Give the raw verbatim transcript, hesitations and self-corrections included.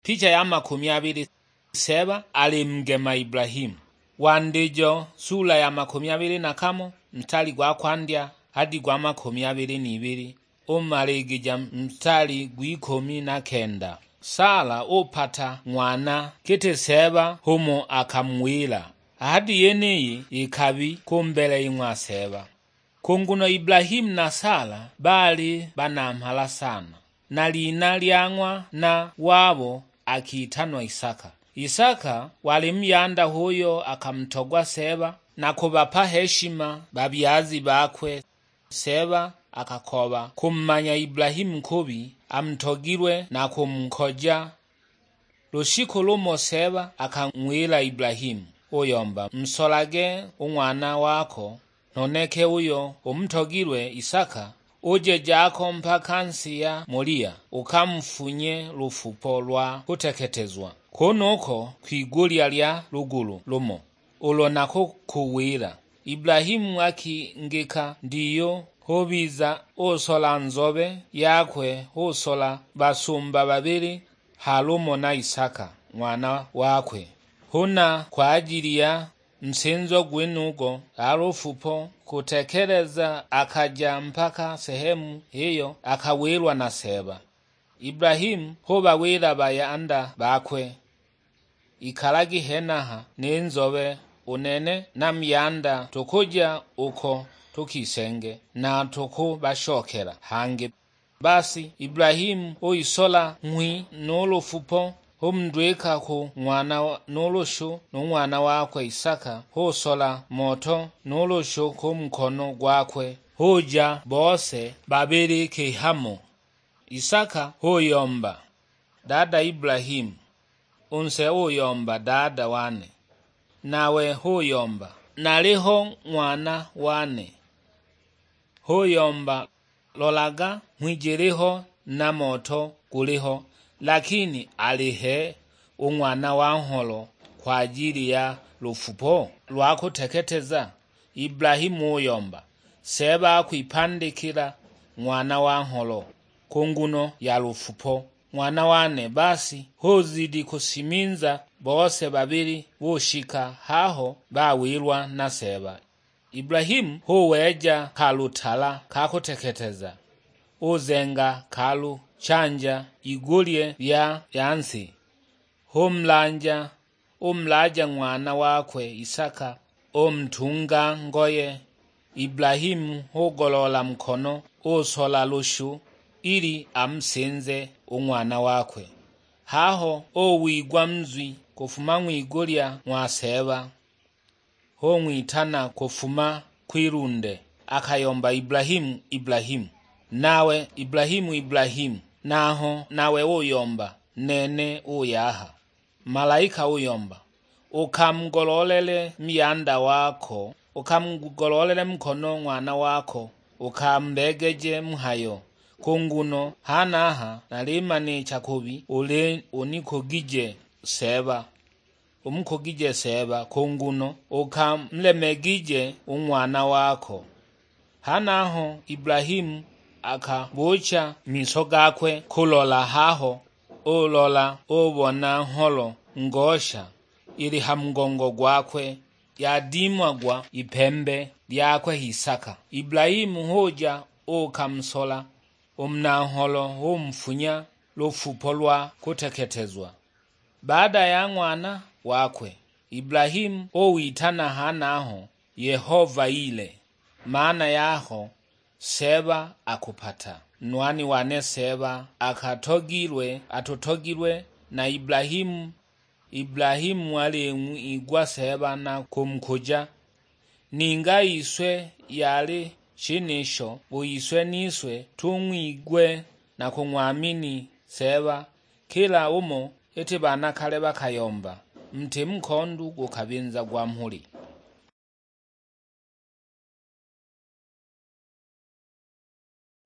Picha ya makumi abili. Seeba ali mugema Ibulahimu. Wandijo sula ya makumi abili na kamo, mstari gwa kwandya hadi gwa makumi abili n'ibili, umaligija mstari gw'ikumi na kenda. Sala upata ng'wana giti Seeba humo akamuwila. Hadi yeniyi ikabi kumbele ing'wa Seeba. Ku nguno Ibulahimu na Sala baali banamhala sana, na lina lya ng'wana wabo akitanwa Isaka. Isaka wali muyanda h'uyo akamutogwa Seeba na kubapa heshima babyazi bakwe. Seeba akakoba kumumanya Ibulahimu kubi, amutogilwe na kumukoja. Lushiku lumo Seeba akang'wila Ibulahimu, uyomba, "Nsolage u ng'wana wako, noneke uyo umutogilwe Isaka, uje jako mpaka nsi ya Molia, ukamufunye lufupo lwa kuteketezwa kunuko kwigulya lya lugulu lumo, ulo nakukuwila." Ibulahimu akingika ndiyo, hubiza usola nzobe yakwe, usola basumba babili, halumo na Isaka ng'wana wakwe. Huna kwajili ya nsinzo gwenugo ya lufupo kutekeleza, akaja mpaka sehemu iyo akawilwa na Seeba. Ibulahimu hubawila bayanda bakwe, "Ikalagi henaha ni nzobe, u nene na muyanda tukuja uko tukisenge, na tukubashokela hangi." Basi Ibulahimu uisola nghwi nu lufupo, umundwika ku ng'wana nu lushu nu ng'wana wakwe Isaka, usola moto nu lushu ku nkono gwakwe, uja bose babili kihamo. Isaka huyomba, "Dada Ibulahimu." U nse uyomba, "Dada wane." Nawe huyomba, "Naliho ng'wana wane." Huyomba, "Lolaga, nghwi jiliho na moto guliho, lakini alihe u ng'wana wa ngholo kwajili ya lufupo lwa kuteketeza?" Ibulahimu uyomba, "Seeba akwipandikila ng'wana wa ngholo ku nguno ya lufupo, ng'wana wane." Basi huzidi kusiminza bose babili, bushika haho bawilwa na Seeba. Ibulahimu huweja kalutala ka kuteketeza, uzenga kalu chanja igulye lya ya nsi, humulanja umulaja ng'wana wakwe Isaka, umutunga ngoye. Ibulahimu hugoloola mukono, usola lushu, ili amusinze u ng'wana wakwe. Haho uwigwa muzwi kufuma ng'wigulya ng'wa Seeba, hung'witana kufuma kwilunde, akayomba, "Ibulahimu, Ibulahimu!" Nawe, "Ibulahimu, Ibulahimu!" Naho nawe uyomba, "Nene uyaha." Malaika uyomba, "Ukamugoloolele muyanda wako, ukamugoloolele mukono ng'wana wako, ukambeegeje mhayo, ku nguno hanaha nalimanicha kubi uli unikugije Seeba, umukugije Seeba, ku nguno ukamulemegije u ng'wana wako." Hanaho Ibulahimu akabuucha miso gakwe kulola haho, ulola ubona ngholo ngosha ili ha mugongo gwakwe, yadimagwa ipembe lyakwe Isaka. Ibulahimu huja ukamusola u muna ngholo, umufunya lufupo lwa kuteketezwa. Baada ya ng'wana wakwe, Ibulahimu uwitana hanaho Yehova Ile, maana yaho, Seeba akupata. Nwani wane Seeba akatogilwe, atutogilwe na Ibulahimu. Ibulahimu aling'wigwa Seeba na kumukuja. Ninga iswe yali shenisho, u iswe niswe tung'wigwe na kung'wamini Seeba, kila umo, iti banakale bakayomba, "Muti mukondu gukabinzagwa mhuli."